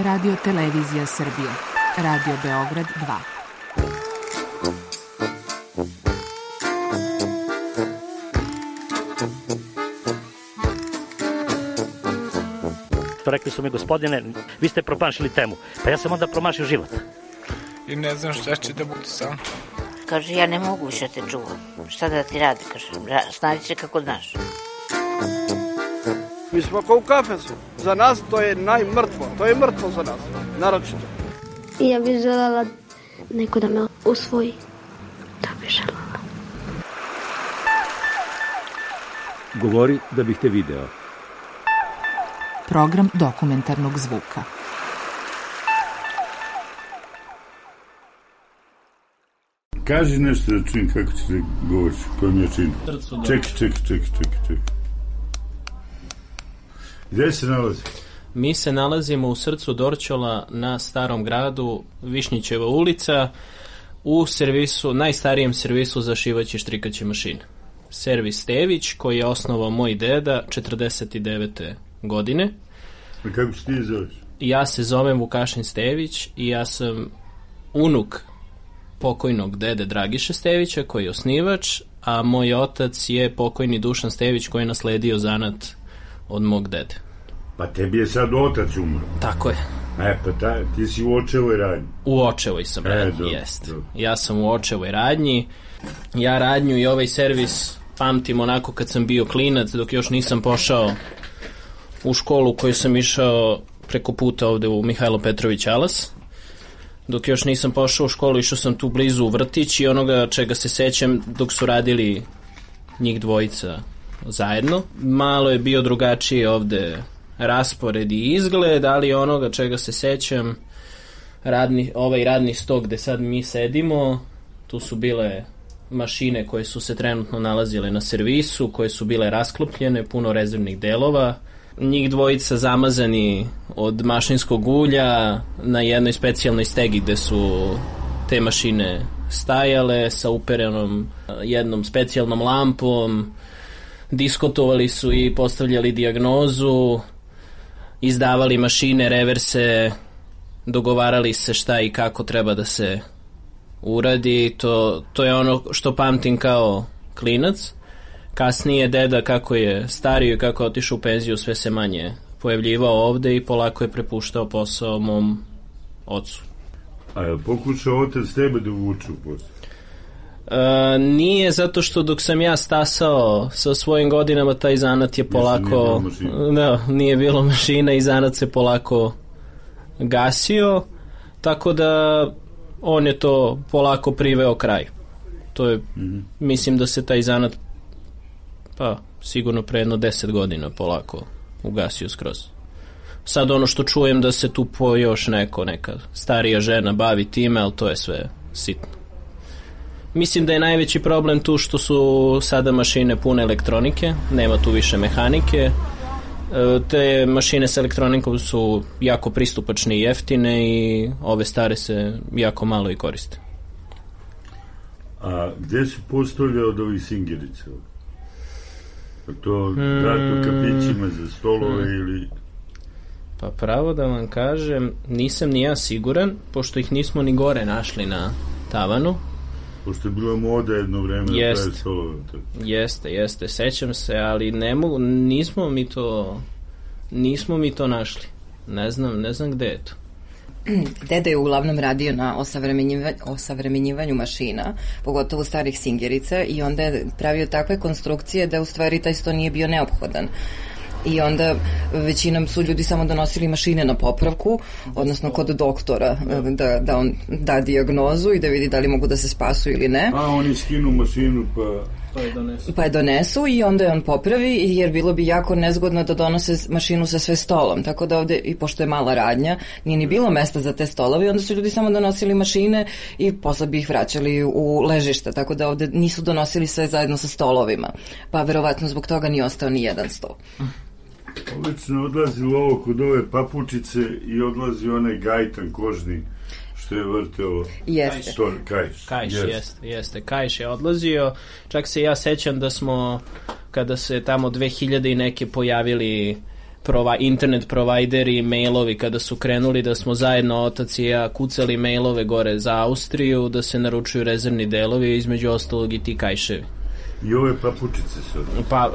Radio Televizija Srbije. Radio Beograd 2. Rekli su mi, gospodine, vi ste promašili temu. Pa ja sam onda promašio život. I ne znam šta će da bude sam. Kaže, ja ne mogu više te čuvam. Šta da ti radi, kaže, snađi se kako znaš. Mi smo kao u kafesu. Za nas to je najmrtvo. To je mrtvo za nas, naročito. I ja bih želela neko da me usvoji. To bih želela. Govori da bih te video. Program dokumentarnog zvuka. Kaži nešto da čujem kako će da govoriš, kojem ja činim. Ček. Gde se nalazi? Mi se nalazimo u srcu Dorćola na Starom gradu, Višnjićeva ulica, u servisu, najstarijem servisu za šivaće i štrikaće mašine. Servis Stević, koji je osnovao moj deda 49. godine. A kako se ti zoveš? Ja se zovem Vukašin Stević i ja sam unuk pokojnog dede Dragiše Stevića, koji je osnivač, a moj otac je pokojni Dušan Stević, koji je nasledio zanat od mog dede. Pa tebi je sad otac umro. Tako je. Pa ti si u očevoj radnji. U očevoj sam radnji, jest. Ja sam u očevoj radnji. Ja radnju i ovaj servis pamtim onako kad sam bio klinac, dok još nisam pošao u školu koju sam išao preko puta ovde u Mihajlo Petrović Alas. Dok još nisam pošao u školu, išao sam tu blizu u vrtić i onoga čega se sećam dok su radili njih dvojica zajedno. Malo je bio drugačiji ovde raspored i izgled, ali onoga čega se sećam, ovaj radni stok gde sad mi sedimo, tu su bile mašine koje su se trenutno nalazile na servisu, koje su bile rasklopljene, puno rezervnih delova. Njih dvojica zamazani od mašinskog ulja na jednoj specijalnoj stegi gde su te mašine stajale sa uperenom jednom specijalnom lampom, diskutovali su i postavljali dijagnozu, izdavali mašine, reverse, dogovarali se šta i kako treba da se uradi. To je ono što pamtim kao klinac. Kasnije deda, kako je stario i kako je otišao u penziju, sve se manje pojavljivao ovde i polako je prepuštao posao mom ocu. A je pokušao otac tebe da uvuče u posao? Nije, zato što dok sam ja stasao sa svojim godinama, taj zanat je polako... Nije bilo mašina i zanat se polako gasio, tako da on je to polako priveo kraj. To je, mislim da se taj zanat sigurno pre jedno 10 godina polako ugasio skroz. Sad ono što čujem da se tu još neka starija žena bavi time, ali to je sve sitno. Mislim da je najveći problem tu što su sada mašine pune elektronike, nema tu više mehanike. Te mašine sa elektronikom su jako pristupačne i jeftine i ove stare se jako malo i koriste. A gde su postavlja od ovih singerica? To dato kapićima za stolove ili... Pa pravo da vam kažem, nisam ni ja siguran, pošto ih nismo ni gore našli na tavanu. Pošto je bila moda jedno vreme da pravi stolove. Jeste, sećam se, ali nismo mi to našli. Ne znam gde je to. Deda je uglavnom radio na osavremenjivanju mašina, pogotovo starih singerica, i onda je pravio takve konstrukcije da u stvari taj sto nije bio neophodan. I onda većinom su ljudi samo donosili mašine na popravku, odnosno kod doktora, da on da dijagnozu i da vidi da li mogu da se spasu ili ne. A oni skinu mašinu pa je donesu i onda je on popravi, jer bilo bi jako nezgodno da donose mašinu sa sve stolom, tako da ovde, i pošto je mala radnja, nije ni bilo mesta za te stolove, onda su ljudi samo donosili mašine i posle bi ih vraćali u ležište, tako da ovde nisu donosili sve zajedno sa stolovima, pa verovatno zbog toga nije ostao ni jedan stol. Obično odlazi u ovo kod ove papučice i odlazi onaj gajtan kožni što je vrteo. Jeste. Kajš je odlazio. Čak se ja sećam da smo, kada se tamo 2000 i neke pojavili internet provajderi, mailovi, kada su krenuli da smo zajedno, otac i ja, kucali mailove gore za Austriju, da se naručuju rezervni delovi, između ostalog i ti kajševi. I ove papučice su.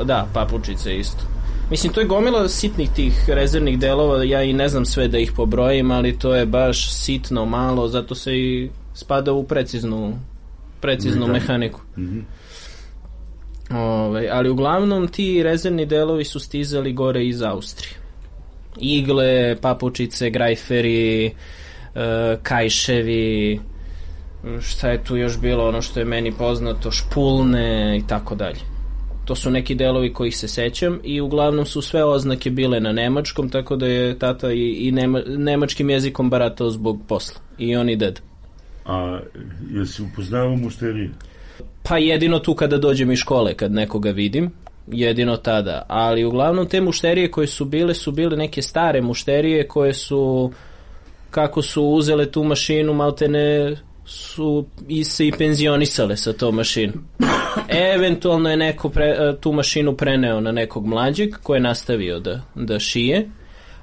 Da, papučice isto. Mislim, to je gomila sitnih tih rezervnih delova, ja i ne znam sve da ih pobrojim, ali to je baš sitno, malo, zato se i spada u preciznu mehaniku. Ali uglavnom ti rezervni delovi su stizali gore iz Austrije. Igle, papučice, grajferi, kajševi, šta je tu još bilo, ono što je meni poznato, špulne i tako dalje. To su neki delovi kojih se sećam i uglavnom su sve oznake bile na nemačkom, tako da je tata i nemačkim jezikom baratao zbog posla. I on i ded. A jesi upoznao mušterije? Pa jedino tu kada dođem iz škole, kad nekoga vidim, jedino tada. Ali uglavnom te mušterije koje su bile neke stare mušterije koje su, kako su uzele tu mašinu, maltene su se i penzionisale sa tom mašinom. Eventualno je neko tu mašinu preneo na nekog mlađeg koji je nastavio da šije,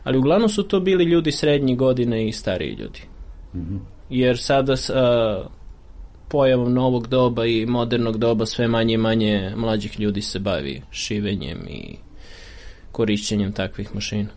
ali uglavnom su to bili ljudi srednjih godine i stariji ljudi. Jer sada pojavom novog doba i modernog doba sve manje i manje mlađih ljudi se bavi šivenjem i korišćenjem takvih mašina.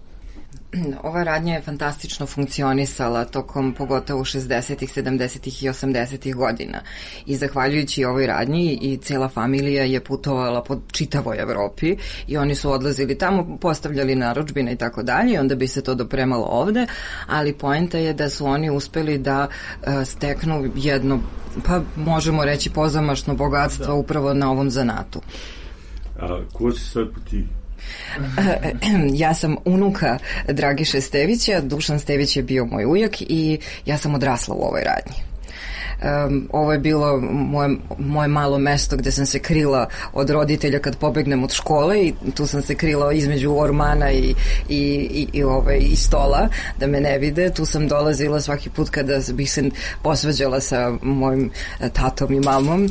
Ova radnja je fantastično funkcionisala tokom pogotovo 60-ih, 70-ih i 80-ih godina i zahvaljujući ovoj radnji i cijela familija je putovala po čitavoj Evropi i oni su odlazili tamo, postavljali narudžbine i tako dalje i onda bi se to dopremalo ovde, ali poenta je da su oni uspeli da steknu jedno, pa možemo reći pozamašno bogatstvo upravo na ovom zanatu. A ko si sad po ti? Ja sam unuka Dragiše Stevića, Dušan Stević je bio moj ujak i ja sam odrasla u ovoj radnji. Ovo je bilo moje malo mesto gde sam se krila od roditelja kad pobegnem od škole i tu sam se krila između ormana i stola da me ne vide. Tu sam dolazila svaki put kada bih se posvađala sa mojim tatom i mamom.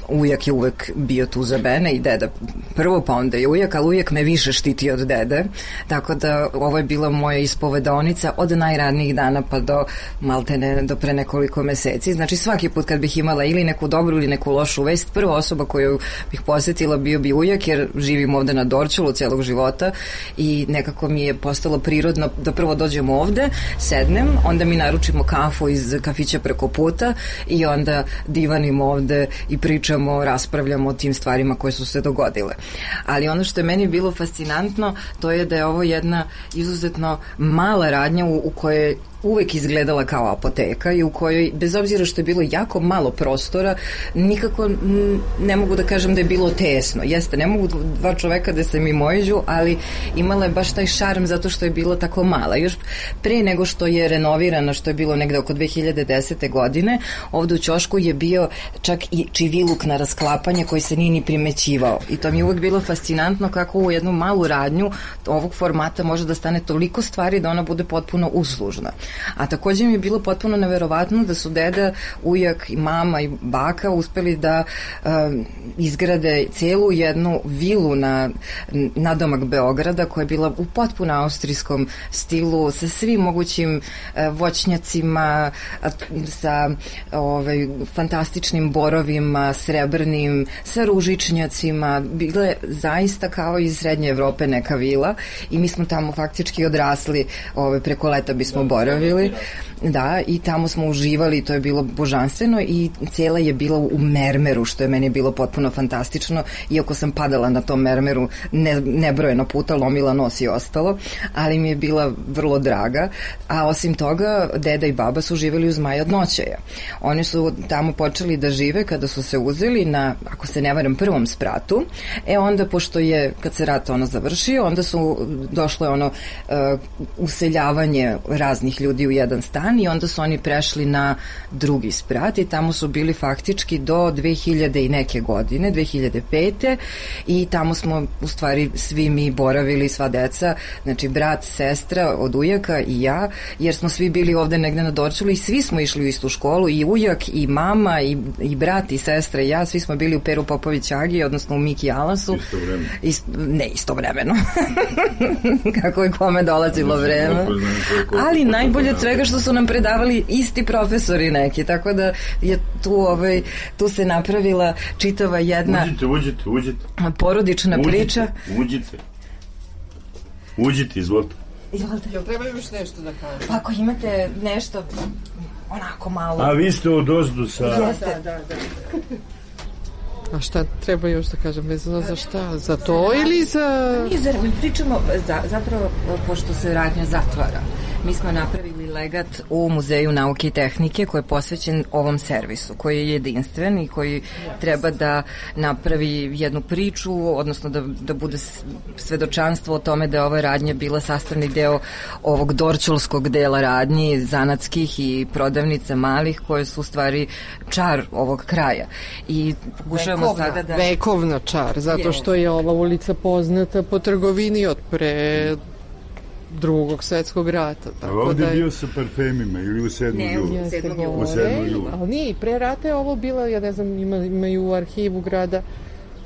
Ujak je uvek bio tu za mene i deda prvo, pa onda je ujak, ali ujak me više štiti od dede, tako da ovo je bila moja ispovedaonica od najranijih dana pa do maltene do pre nekoliko meseci. Znači svaki put kad bih imala ili neku dobru ili neku lošu vest, prva osoba koju bih posetila bio bi ujak, jer živim ovde na Dorćolu celog života i nekako mi je postalo prirodno da prvo dođem ovde, sednem, onda mi naručimo kafu iz kafića preko puta i onda divanimo ovde i pričamo, raspravljamo o tim stvarima koje su se dogodile. Ali ono što je meni bilo fascinantno, to je da je ovo jedna izuzetno mala radnja u kojoj uvek izgledala kao apoteka i u kojoj, bez obzira što je bilo jako malo prostora, nikako ne mogu da kažem da je bilo tesno. Jeste, ne mogu dva čoveka da se mimoiđu, ali imala je baš taj šarm zato što je bila tako mala. Još pre nego što je renovirana, što je bilo negde oko 2010. godine, ovde u ćošku je bio čak i čiviluk na rasklapanje koji se nije ni primećivao. I to mi je uvek bilo fascinantno kako u jednu malu radnju ovog formata može da stane toliko stvari da ona bude potpuno uslužna. A takođe mi je bilo potpuno neverovatno da su deda, ujak i mama i baka uspeli da izgrade celu jednu vilu na nadomak Beograda koja je bila u potpuno austrijskom stilu sa svim mogućim voćnjacima, sa fantastičnim borovima, srebrnim, sa ružičnjacima. Bila je zaista kao iz Srednje Evrope neka vila i mi smo tamo faktički odrasli, preko leta bismo boravili. Da, i tamo smo uživali, to je bilo božanstveno i cijela je bila u mermeru, što je meni bilo potpuno fantastično, iako sam padala na tom mermeru nebrojeno puta, lomila nos i ostalo, ali mi je bila vrlo draga, a osim toga deda i baba su živjeli uz Maja od Noćaja. Oni su tamo počeli da žive kada su se uzeli na, ako se ne varam, prvom spratu, onda pošto je, kad se rat završio, onda su došlo useljavanje raznih ljudi u jedan stan stan i onda su oni prešli na drugi sprat i tamo su bili faktički do 2000 i neke godine, 2005. i tamo smo u stvari svi mi boravili, sva deca, znači brat, sestra od ujaka i ja, jer smo svi bili ovde negde na Dorćolu i svi smo išli u istu školu, i ujak, i mama, i brat, i sestra i ja, svi smo bili u Peru Popović Agi, odnosno u Miki Alasu. Ne istovremeno. Kako je kome dolazilo vreme. Ali najbolje od svega što su nam predavali isti profesori neki, tako da je tu se napravila čitava jedna Uđite. porodična priča. Uđite, izvolite. Jel treba još nešto da kažem? Pa ako imate nešto onako malo... A vi ste od ozdu sa... Jeste. Da. A šta treba još da kažem, vezano za šta? Za to ili za... Mi pričamo, zapravo, pošto se radnja zatvara, mi smo napravili legat u Muzeju nauke i tehnike koji je posvećen ovom servisu, koji je jedinstven i koji treba da napravi jednu priču, odnosno da bude svedočanstvo o tome da je ova radnja bila sastavni deo ovog dorćolskog dela radnji, zanatskih i prodavnica malih, koje su u stvari čar ovog kraja. I pokušavamo sada da... Vekovna čar, zato što je ova ulica poznata po trgovini od pre Drugog svetskog rata. A ovdje je bio sa parfemima ili u 7. julu? Ne, u 7. julu. Ali nije, i pre rata je ovo bila, ja ne znam, imaju u arhivu grada,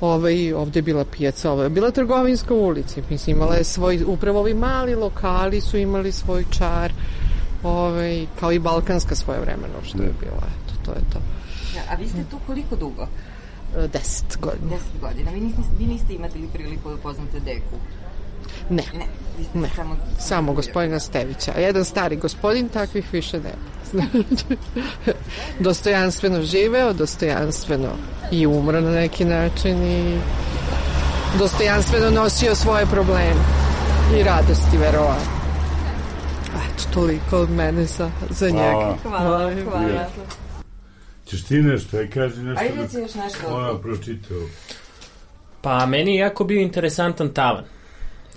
ovdje je bila pijaca, ovo je bila trgovinska ulica, mislim, imala je svoj, upravo ovi mali lokali su imali svoj čar, kao i balkanska svoje vremeno, što je bilo, eto, to je to. Ja, a vi ste tu koliko dugo? 10 godina. 10 godina. Vi niste imali priliku da poznate deku? Ne. Ne. Samo gospodina Stevića. Jedan stari gospodin, takvih više nema. Dostojanstveno živeo, dostojanstveno i umro na neki način i dostojanstveno nosio svoje probleme i radosti, verovatno. Eto, toliko od mene za njega. Hvala. Ćeš ti nešto, kaži nešto. Ajde si još nešto. Ona pročitao. Pa meni je jako bio interesantan tavan.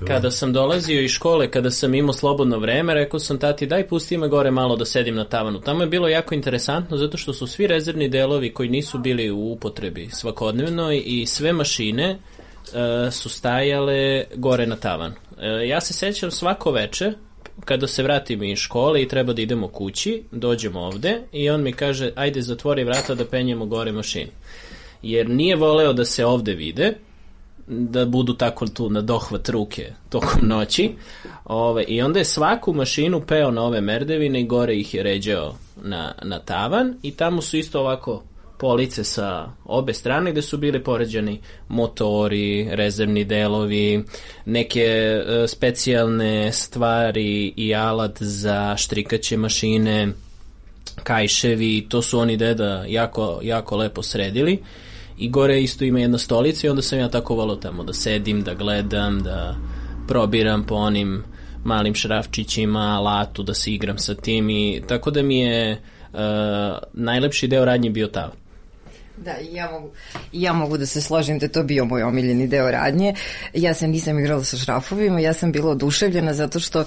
Kada sam dolazio iz škole, kada sam imao slobodno vreme, rekao sam tati daj pusti me gore malo da sedim na tavanu. Tamo je bilo jako interesantno zato što su svi rezervni delovi koji nisu bili u upotrebi svakodnevnoj i sve mašine su stajale gore na tavanu. Ja se sećam svako veče kada se vratim iz škole i treba da idemo kući, dođemo ovde i on mi kaže ajde zatvori vrata da penjemo gore mašinu. Jer nije voleo da se ovde vide, da budu tako tu na dohvat ruke tokom noći. I onda je svaku mašinu peo na ove merdevine i gore ih je ređao na tavan i tamo su isto ovako police sa obe strane gde su bili poređani motori, rezervni delovi, neke specijalne stvari i alat za štrikaće mašine, kajševi, to su oni deda jako lepo sredili. I gore isto ima jedna stolica i onda sam ja tako volao tamo da sedim, da gledam, da probiram po onim malim šrafčićima, alatu, da se igram sa tim i tako da mi je najlepši deo radnje bio tavan. Da, ja mogu da se složim da je to bio moj omiljeni deo radnje. Ja se nisam igrala sa šrafovima, ja sam bila oduševljena zato što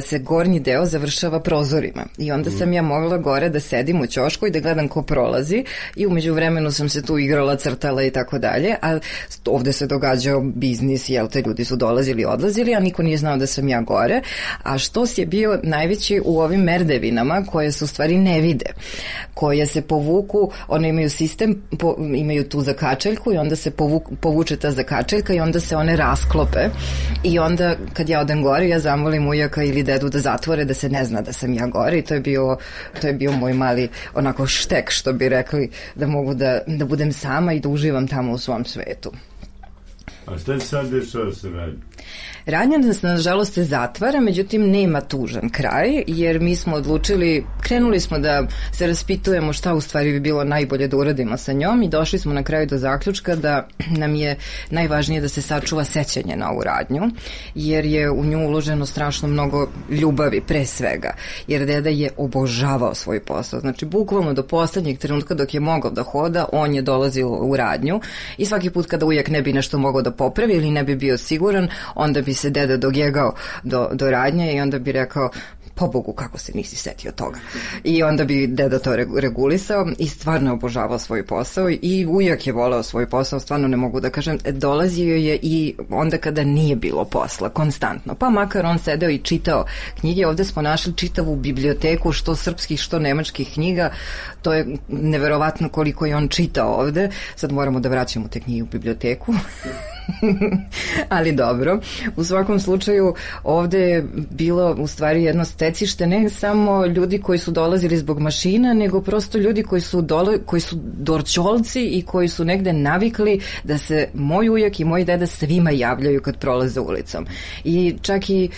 se gornji deo završava prozorima i onda sam ja mogla gore da sedim u ćošku i da gledam ko prolazi i umeđu vremenu sam se tu igrala, crtala i tako dalje, a ovde se događao biznis, jel te, ljudi su dolazili i odlazili, a niko nije znao da sam ja gore, a štos je bio najveći u ovim merdevinama koje se u stvari ne vide, koje se povuku, one imaju sistem, imaju tu zakačeljku i onda se povuče ta zakačeljka i onda se one rasklope i onda kad ja odem gore ja zamolim ujaka ili dedu da zatvore da se ne zna da sam ja gore i to je bio moj mali onako štek što bi rekli da mogu da budem sama i da uživam tamo u svom svetu. A šta se sad dešava sa radnjom? Radnja nas nažalost se zatvara, međutim nema tužan kraj, jer mi smo odlučili, krenuli smo da se raspitujemo šta u stvari bi bilo najbolje da uradimo sa njom i došli smo na kraju do zaključka da nam je najvažnije da se sačuva sećanje na ovu radnju, jer je u nju uloženo strašno mnogo ljubavi pre svega, jer deda je obožavao svoj posao, znači bukvalno do poslednjeg trenutka dok je mogao da hoda, on je dolazio u radnju i svaki put kada ujak ne bi nešto mogao da popravi ili ne bi bio siguran, onda bi se deda dogegao do radnje i onda bi rekao po Bogu, kako se nisi setio toga. I onda bi deda to regulisao i stvarno obožavao svoj posao i ujak je voleo svoj posao, stvarno ne mogu da kažem, dolazio je i onda kada nije bilo posla, konstantno. Pa makar on sedeo i čitao knjige, ovde smo našli čitavu biblioteku, što srpskih, što nemačkih knjiga, to je neverovatno koliko je on čitao ovde, sad moramo da vraćamo te knjige u biblioteku. Ali dobro, u svakom slučaju ovde je bilo u stvari jedno stecište ne samo ljudi koji su dolazili zbog mašina, nego prosto ljudi koji su dorćolci i koji su negde navikli da se moj ujak i moj deda svima javljaju kad prolaze ulicom. I čak i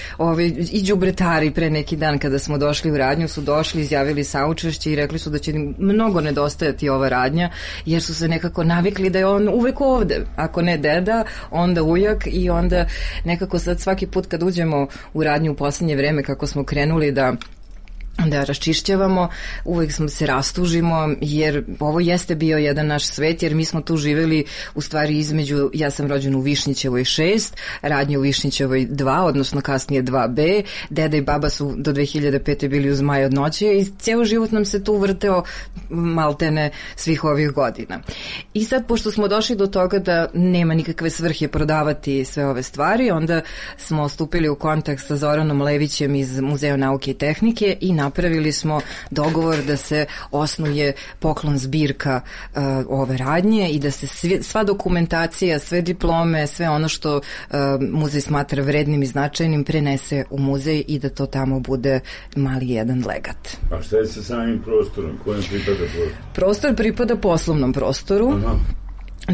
đubretari pre neki dan kada smo došli u radnju su došli, izjavili saučešće i rekli su da će im mnogo nedostajati ova radnja, jer su se nekako navikli da je on uvek ovde, ako ne deda, onda ujak i onda nekako sad svaki put kad uđemo u radnju u poslednje vreme kako smo krenuli da raščišćavamo, uvek se rastužimo jer ovo jeste bio jedan naš svet jer mi smo tu živeli u stvari između, ja sam rođen u Višnjićevoj 6, radnje u Višnjićevoj 2, odnosno kasnije 2B, deda i baba su do 2005. bili uz Maj od noći i cijel život nam se tu vrteo maltene svih ovih godina. I sad pošto smo došli do toga da nema nikakve svrhe prodavati sve ove stvari, onda smo stupili u kontakt sa Zoranom Levićem iz Muzeja nauke i tehnike i napravili smo dogovor da se osnuje poklon zbirka ove radnje i da se sva dokumentacija, sve diplome, sve ono što muzej smatra vrednim i značajnim prenese u muzej i da to tamo bude mali jedan legat. A šta je sa samim prostorom? Kojem pripada prostor? Prostor pripada poslovnom prostoru. Aha.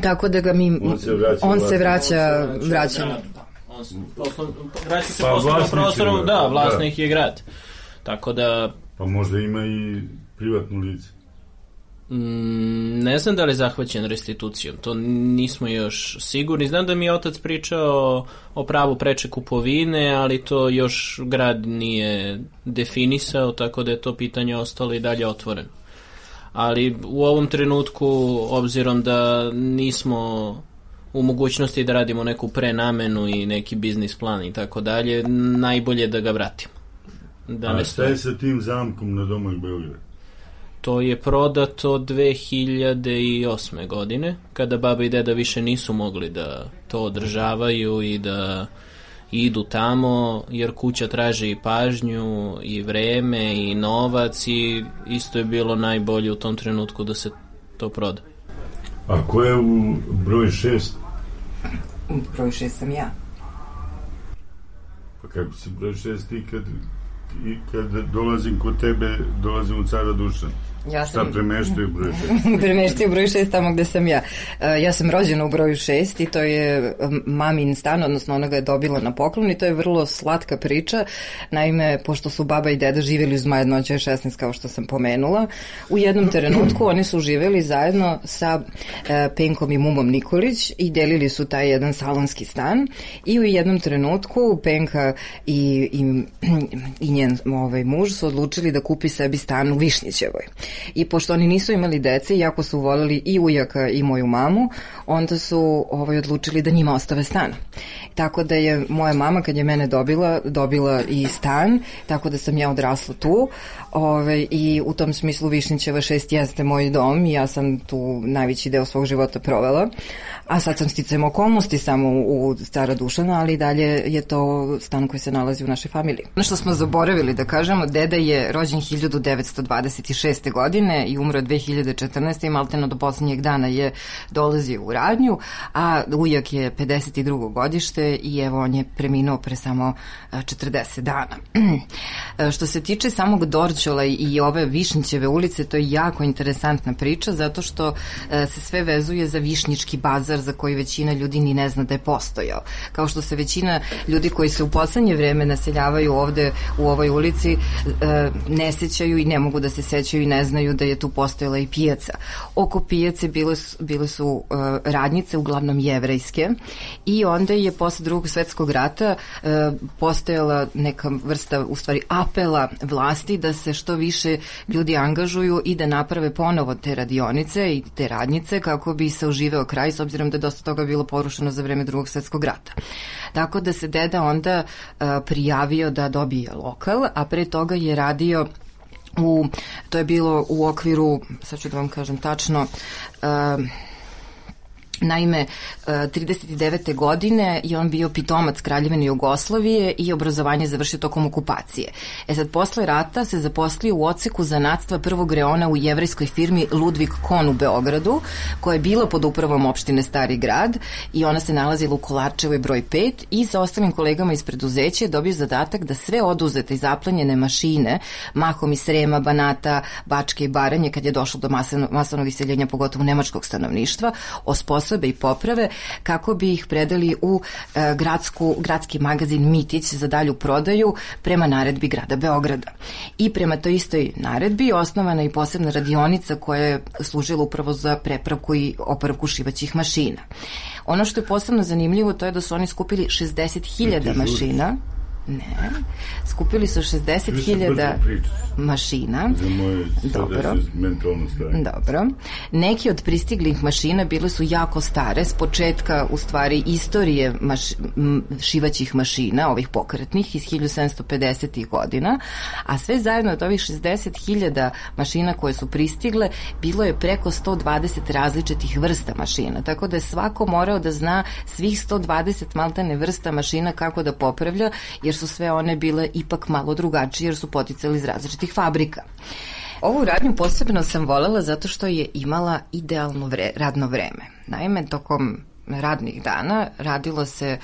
Tako da ga mi... On se vraća vraća se poslovnom prostoru, da, vlasnik je grad. Tako da... Pa možda ima i privatnu lice. Ne znam da li je zahvaćen restitucijom, to nismo još sigurni. Znam da mi je otac pričao o pravu preče kupovine, ali to još grad nije definisao, tako da je to pitanje ostalo i dalje otvoreno. Ali u ovom trenutku, obzirom da nismo u mogućnosti da radimo neku prenamenu i neki biznis plan i tako dalje, najbolje da ga vratimo. A šta je sa tim zamkom na Domak Beograd? To je prodato 2008. godine, kada baba i deda više nisu mogli da to održavaju i da idu tamo, jer kuća traži i pažnju, i vreme, i novac, i isto je bilo najbolje u tom trenutku da se to proda. A ko je u broj 6? Broj 6 sam ja. Pa kako si broj 6 ti kad dolazim kod tebe, dolazim u Cara Dušana? Šta premeštaju broj 6? Premeštaju broj 6 tamo gde sam ja. Ja sam rođena u broju 6 i to je mamin stan, odnosno ona ga je dobila na poklon i to je vrlo slatka priča. Naime, pošto su baba i deda živjeli uz Maja od noći 16, kao što sam pomenula, u jednom trenutku oni su živjeli zajedno sa Penkom i Mumom Nikolić i delili su taj jedan salonski stan i u jednom trenutku Penka i njen muž su odlučili da kupi sebi stan u Višnjićevoj. I pošto oni nisu imali dece, iako su voljeli i ujaka i moju mamu, onda su odlučili da njima ostave stan. Tako da je moja mama, kad je mene dobila i stan, tako da sam ja odrasla tu i u tom smislu Višnjićeva 6 jeste moj dom i ja sam tu najveći deo svog života provela. A sad sam sticajem okolnosti samo u Cara Dušana, ali dalje je to stan koji se nalazi u našoj familiji. Ono što smo zaboravili da kažemo, deda je rođen 1926. godine i umro 2014. i malteno do posljednjeg dana je dolazio u radnju, a ujak je 52. godište i evo on je preminuo pre samo 40 dana. Što se tiče samog Dorćola i ove Višnjićeve ulice, to je jako interesantna priča zato što se sve vezuje za Višnjički bazar za koji većina ljudi ni ne zna da je postojao. Kao što se većina ljudi koji se u poslednje vreme naseljavaju ovde u ovoj ulici ne sećaju i ne mogu da se sećaju i ne znaju da je tu postojala i pijaca. Oko pijace bile su radnjice, uglavnom jevrejske, i onda je posle Drugog svetskog rata postojala neka vrsta, u stvari, apela vlasti da se što više ljudi angažuju i da naprave ponovo te radionice i te radnjice kako bi se oživeo kraj, s obzirom da je dosta toga bilo porušeno za vreme Drugog svetskog rata. Tako da se deda onda prijavio da dobije lokal, a pre toga je radio to je bilo u okviru, sad ću da vam kažem tačno, naime, 39. godine je on bio pitomac Kraljevine Jugoslavije i obrazovanje završio tokom okupacije. Sad, posle rata se zaposlio u odseku zanatstva prvog reona u jevrejskoj firmi Ludvig Kohn u Beogradu, koja je bila pod upravom opštine Stari grad i ona se nalazila u Kolarčevoj broj 5, i sa ostalim kolegama iz preduzeća je dobio zadatak da sve oduzete i zaplenjene mašine, mahom iz Srema, Banata, Bačke i Baranje, kad je došlo do masovnog iseljenja, pogotovo nemačkog stanovništva, osposobe i poprave kako bi ih predali u gradski magazin Mitić za dalju prodaju prema naredbi grada Beograda. I prema toj istoj naredbi osnovana i posebna radionica koja je služila upravo za prepravku i opravku šivaćih mašina. Ono što je posebno zanimljivo to je da su oni skupili 60.000 mašina. Ne, skupili su 60.000 mašina. Dobro. Dobro. Neki od pristiglih mašina bile su jako stare, s početka, u stvari, istorije šivaćih mašina, ovih pokretnih, iz 1750. godina, a sve zajedno od ovih 60.000 mašina koje su pristigle, bilo je preko 120 različitih vrsta mašina, tako da je svako morao da zna svih 120 maltene vrsta mašina kako da popravlja, jer su sve one bile ipak malo drugačije, jer su poticali iz različitih fabrika. Ovu radnju posebno sam volela zato što je imala idealno radno vreme. Naime, tokom radnih dana radilo se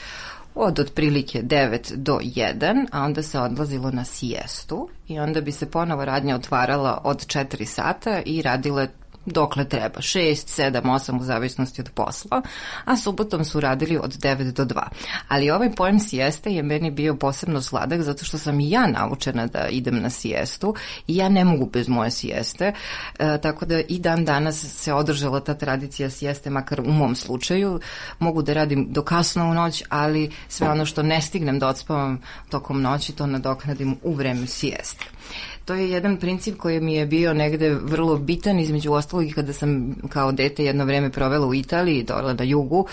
od otprilike 9 do 1, a onda se odlazilo na sijestu i onda bi se ponovo radnja otvarala od 4 sata i radile dokle treba, 6, 7, 8 u zavisnosti od posla, a subotom su radili od 9 do 2. Ali ovaj pojam sijeste je meni bio posebno sladak zato što sam i ja naučena da idem na sijestu i ja ne mogu bez moje sijeste, tako da i dan danas se održala ta tradicija sijeste, makar u mom slučaju. Mogu da radim do kasno u noć, ali sve ono što ne stignem da odspavam tokom noći, to nadoknadim u vreme sijeste. To je jedan princip koji mi je bio negde vrlo bitan, između ostalog, kada sam kao dete jedno vreme provela u Italiji, dole na jugu,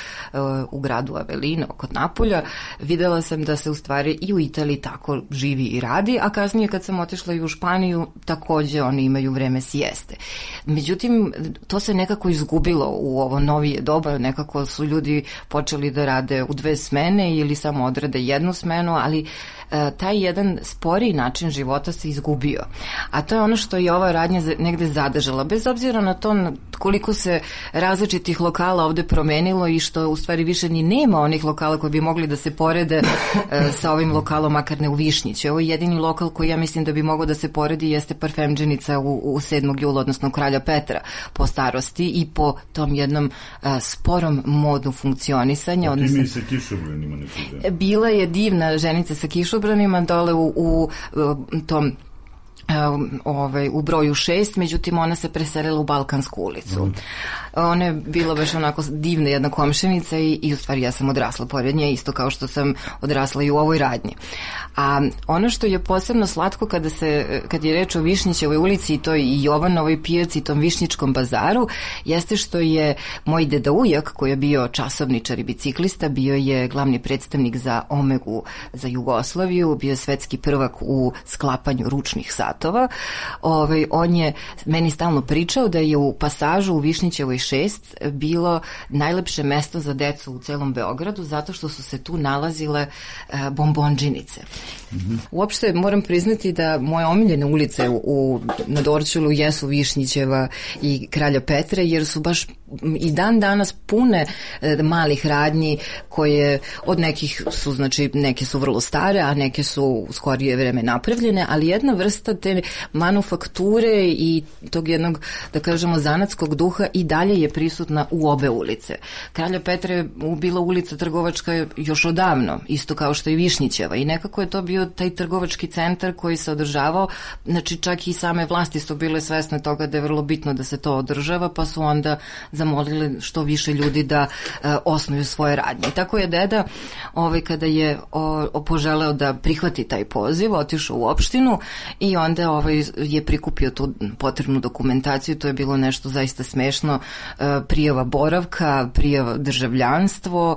u gradu Avellino, kod Napolja. Videla sam da se u stvari i u Italiji tako živi i radi, a kasnije kad sam otišla i u Španiju, takođe oni imaju vreme sijeste. Međutim, to se nekako izgubilo u ovo novije doba, nekako su ljudi počeli da rade u 2 smene ili samo odrade jednu smenu, ali taj jedan sporiji način života se izgubio. A to je ono što je ova radnja negde zadržala. Bez obzira na to koliko se različitih lokala ovde promenilo i što u stvari više ni nema onih lokala koji bi mogli da se porede sa ovim lokalom, makar ne u Višnjići. Ovo je jedini lokal koji ja mislim da bi mogao da se poredi, jeste Parfemdženica u 7. jula, odnosno Kralja Petra, po starosti i po tom jednom sporom modu funkcionisanja. A ti mi sa kišobranima nekada? Bila je divna ženica sa kišobranima dole u tom u broju 6, međutim ona se preselila u Balkansku ulicu. Ona je bila baš onako divna jedna komšenica i u stvari ja sam odrasla pored nje, isto kao što sam odrasla i u ovoj radnji. A ono što je posebno slatko kad je reč o Višnjićevoj ulici i toj i Jovanovoj pijaci i tom Višnjičkom bazaru, jeste što je moj deda ujak, koji je bio časovničar i biciklista, bio je glavni predstavnik za Omegu za Jugoslaviju, bio je svetski prvak u sklapanju ručnih satova. On je meni stalno pričao da je u pasažu u Višnjićevoj 6 bilo najlepše mesto za decu u celom Beogradu, zato što su se tu nalazile bombondžinice. Uopšte moram priznati da moje omiljene ulice na Dorćolu jesu Višnjićeva i Kralja Petre, jer su baš i dan danas pune malih radnji koje od nekih su, znači neke su vrlo stare, a neke su u skorije vreme napravljene, ali jedna vrsta te manufakture i tog jednog, da kažemo, zanatskog duha i dalje je prisutna u obe ulice. Kralja Petra je bila ulica trgovačka još odavno, isto kao što i Višnjićeva, i nekako je to bio taj trgovački centar koji se održavao, znači čak i same vlasti su bile svesne toga da je vrlo bitno da se to održava, pa su onda zamolili što više ljudi da osnuju svoje radnje. I tako je deda, kada je poželeo da prihvati taj poziv, otišao u opštinu i onda je prikupio tu potrebnu dokumentaciju. To je bilo nešto zaista smešno, prijava boravka, prijava državljanstvo,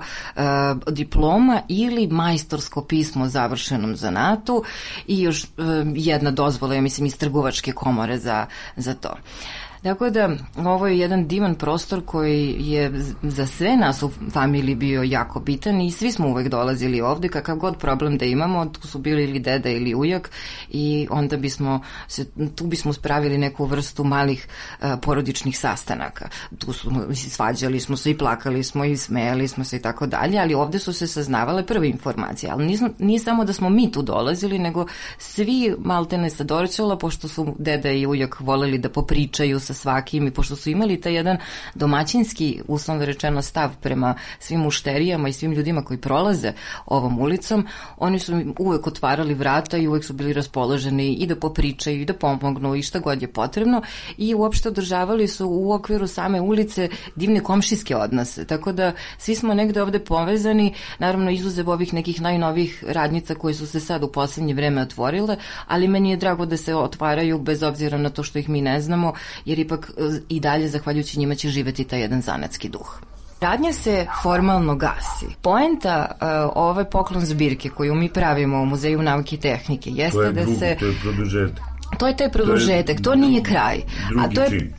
diploma ili majstorsko pismo o završenom zanatu i još jedna dozvola, ja mislim, iz trgovačke komore za to. Tako da, ovo je jedan divan prostor koji je za sve nas u familiji bio jako bitan i svi smo uvek dolazili ovde, kakav god problem da imamo, tu su bili ili deda ili ujak i onda tu bismo spravili neku vrstu malih porodičnih sastanaka. Tu svađali smo se i plakali smo i smejali smo se i tako dalje, ali ovde su se saznavale prve informacije, ali nije samo da smo mi tu dolazili, nego svi maltene sa Dorćola, pošto su deda i ujak voleli da popričaju sa svakim i pošto su imali taj jedan domaćinski, uslovno rečeno, stav prema svim mušterijama i svim ljudima koji prolaze ovom ulicom, oni su uvek otvarali vrata i uvek su bili raspoloženi i da popričaju i da pomognu i šta god je potrebno i uopšte održavali su u okviru same ulice divne komšijske odnose, tako da svi smo negde ovde povezani, naravno izuzev ovih nekih najnovih radnica koje su se sad u poslednje vreme otvorile, ali meni je drago da se otvaraju bez obzira na to što ih mi ne znamo, jer ipak i dalje, zahvaljujući njima, će živeti taj jedan zanatski duh. Radnja se formalno gasi. Poenta ove poklon zbirke koju mi pravimo u Muzeju nauke i tehnike jeste da se... To je produžetak. To je taj produžetak, to nije kraj. A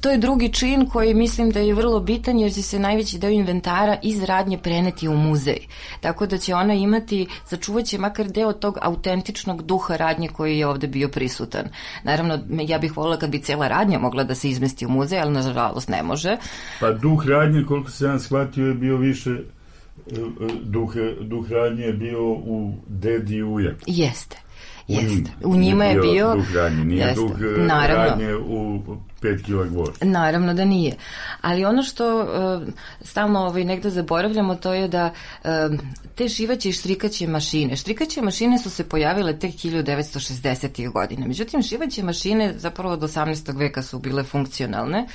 to je drugi čin koji mislim da je vrlo bitan jer će se najveći deo inventara iz radnje preneti u muzej. Tako da će ona imati, sačuvat će makar deo tog autentičnog duha radnje koji je ovde bio prisutan. Naravno, ja bih voljela kad bi cela radnja mogla da se izmesti u muzej, ali nažalost ne može. Pa duh radnje, koliko se ja shvatio, je bio više... Duh radnje je bio u dedi i ujak. Jeste. U njima je bio duh radnje, nije duh radnje u 5 kila gvor. Naravno da nije. Ali ono što stalno negde zaboravljamo, to je da te šivaće i štrikaće mašine su se pojavile tek 1960. godina. Međutim, šivaće mašine zapravo od 18. veka su bile funkcionalne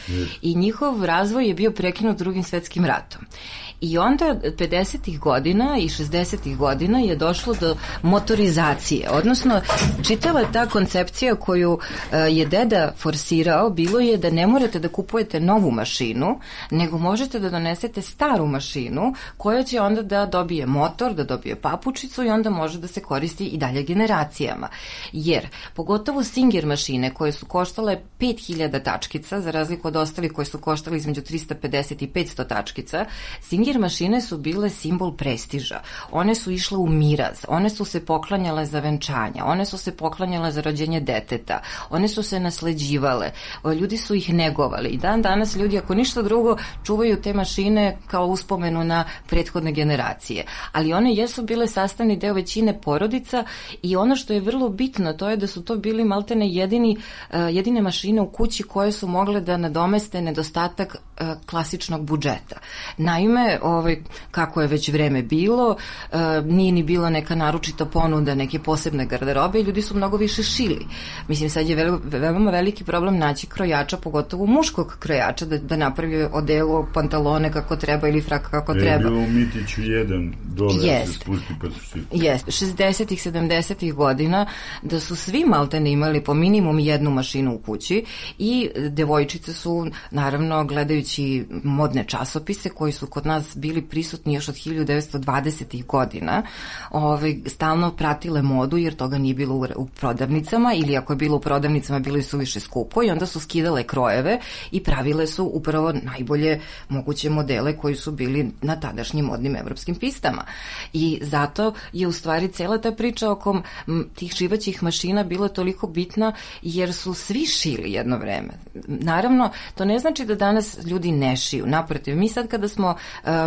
i njihov razvoj je bio prekinut Drugim svetskim ratom. I onda 50. godina i 60. godina je došlo do motorizacije, odnosno čitava ta koncepcija koju je deda forsirao bilo je da ne morate da kupujete novu mašinu, nego možete da donesete staru mašinu koja će onda da dobije motor, da dobije papučicu i onda može da se koristi i dalje generacijama. Jer, pogotovo Singer mašine koje su koštale 5000 tačkica, za razliku od ostalih koje su koštale između 350 i 500 tačkica, Singer mašine su bile simbol prestiža. One su išle u miraz, one su se poklanjale za venčanja, one su se poklanjale za rođenje deteta, one su se nasleđivale, ljudi su ih negovali i danas ljudi, ako ništa drugo, čuvaju te mašine kao uspomenu na prethodne generacije. Ali one jesu bile sastavni deo većine porodica i ono što je vrlo bitno, to je da su to bili maltene jedine mašine u kući koje su mogle da nadomeste nedostatak klasičnog budžeta. Naime, kako je već vreme bilo, nije ni bila neka naročita ponuda, neke posebne garderobe i ljudi su mnogo više šili. Mislim, sad je veoma veliki problem naći krojača, pogotovo muškog krojača, da napravi odelo, pantalone kako treba ili frak kako treba. Je bilo u Mitiću jedan dole, se spusti pa su šili. Jeste, 60-ih, 70-ih godina da su svi maltene imali po minimum jednu mašinu u kući i devojčice su, naravno, gledajući modne časopise koji su kod nas bili prisutni još od 1920-ih godina, stalno pratile modu jer toga nije bilo u prodavnicama ili ako je bilo u prodavnicama bili su više skupo i onda su skidale krojeve i pravile su upravo najbolje moguće modele koji su bili na tadašnjim modnim evropskim pistama. I zato je u stvari cela ta priča oko tih šivaćih mašina bila toliko bitna jer su svi šili jedno vreme. Naravno, to ne znači da danas ljudi ne šiju. Naprotiv, mi sad kada smo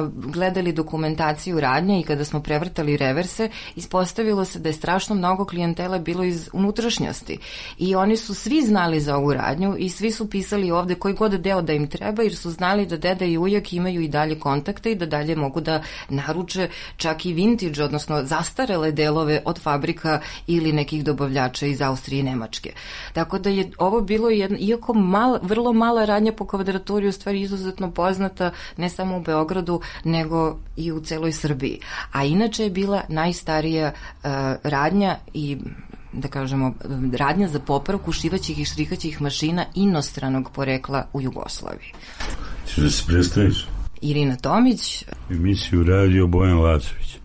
gledali dokumentaciju radnje i kada smo prevrtali reverse, ispostavilo se da je strašno mnogo klijentela bilo iz unutrašnjosti. I oni su svi znali za ovu radnju i svi su pisali ovde koji god deo da im treba, jer su znali da deda i ujak imaju i dalje kontakte i da dalje mogu da naruče čak i vintage, odnosno zastarele delove od fabrika ili nekih dobavljača iz Austrije i Nemačke. Tako da je ovo bilo iako vrlo mala radnja po kvadraturi, u stvari izuzetno poznata ne samo u Beogradu, nego i u celoj Srbiji. A inače je bila najstarija radnja i da kažemo, radnja za popravku šivaćih i štrikaćih mašina inostranog porekla u Jugoslaviji. Ćeš da se predstaviš? Irina Tomić. Emisiju radio Bojan Lacović.